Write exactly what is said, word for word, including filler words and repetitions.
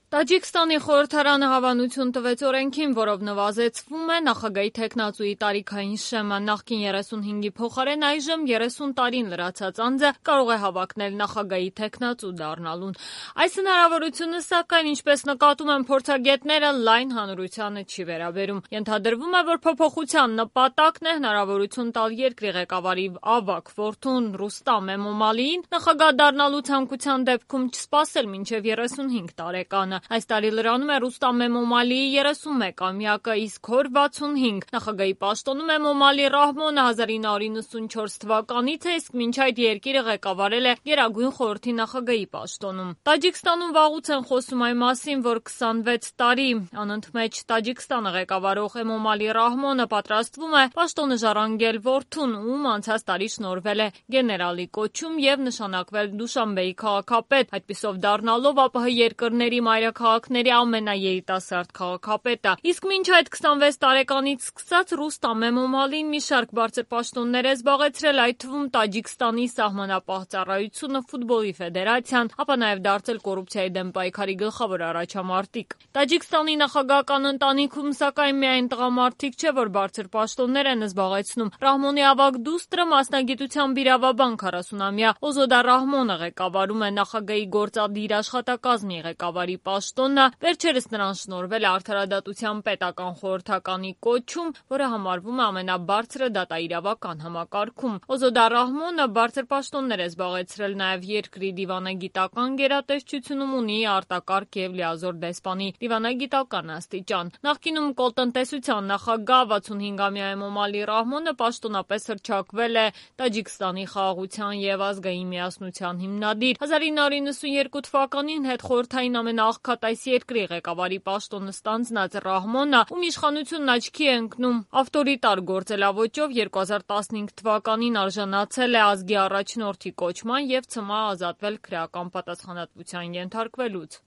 Տաջիկստանի խորհրդարանը հավանություն տվեց օրենքին, որով նվազեցվում է նախագահի թեկնածուի տարիքային շեմը։ Նախկին երեսունհինգի փոխարեն այժմ երեսուն տարին լրացած անձը կարող է հավակնել նախագահի թեկնածու դառնալուն։ Այս հնարավորությունը, սակայն, ինչպես նկատում են փորձագետները, լայն հանրությանը չի վերաբերում։ Ենթադրվում է, որ փոփոխության նպատակն է հնարավորություն տալ երկրի ղեկավարի ավագ որդուն Ռուստամ Էմոմալիին նախագահ դառնալու ցանկության դեպքում չսպասել մինչև երեսունհինգ տարեկանը։ Այս տարի լրանում է Ռուստամ Էմոմալիի երեսունմեկամյակը, իսկ հոր վաթսունհինգ։ Նախագահի պաշտոնում Էմոմալի Ռահմոնը հազար ինը հարյուր նվաթ թվականից է, իսկ մինչ այդ երկիրը ղեկավարել է Գերագույն խորհրդի նախագահի պաշտոնում։ Տաջիկստանում վաղուց են խոսում այն մասին, որ քսանվեց տարի անընդմեջ Տաջիկստանը ղեկավարող Էմոմալի Ռահմոնը պատրաստվում է պաշտոնը ժառանգել որդուն, ում անցած տարի շնորհվել է գեներալի կոչում և նշանակվել Դուշանբեի քաղաքապետ, այդպիսով դառնալով ԱՊՀ երկրների մայրաքաղաքների ամենաերիտասարդ քաղաքապետը։ Իսկ մինչ այդ քսանվեց տարեկանից սկսած Ռուստամ Էմոմալին մի շարք բարձր պաշտոններ է զբաղեցրել, այդ թվում Տաջիկստանի սահմանապահ ծառայությունը, ֆուտբոլի ֆեդերացիան, ապա նաև դարձել կոռուպցիայի դեմ պայքարի գլխավոր առաջամարտիկ։ Տաջիկստանի նախագահական ընտանիքում, սակայն, միայն տղամարդիկ չէ, որ բարձր պաշտոններ են զբաղեցնում։ Ռահմոնի ավագ դուստրը մասնագիտությամբ իրավաբան քառասունամյա Օզոդա Ռահմոնը ղեկավարում է նախագահի գործադիր աշխատակազմի ղեկավարի պաշտոնը, վերջերս նրան շնորհվել է արդարադատության պետական խորհրդականի կոչում, որը համարվում է ամենաբարձրը դատաիրավական համակարգում։ Օզոդա Ռահմոնը բարձր պաշտոններ է զբաղեցրել նաև երկրի դիվանագիտական գերատեսչությունում, ունի արտակարգ և լիազոր դեսպանի դիվանագիտական աստիճան։ Նախկինում կոլտնտեսության նախագահ վաթսունհինգամյա Էմոմալի Ռահմոնը պաշտոնապես հռչակվել է Տաջիկստանի խաղաղության և ազգային միասնության հիմնադիր։ հազար ինը հարյուր նվաթ թվականին հետխորհրդային ամենաաղքատ այս երկրի ղեկավարի պաշտոնը ստանձնած Ռահմոնը, ում իշխանությունն աչքի է ընկնում ավտորիտար գործելաոճով, երկու հազար տասնհինգ թվականին արժանացել է ազգի առաջնորդի կոչման և ցմահ ազատվել քրեական պատասխանատվության ենթարկվելուց։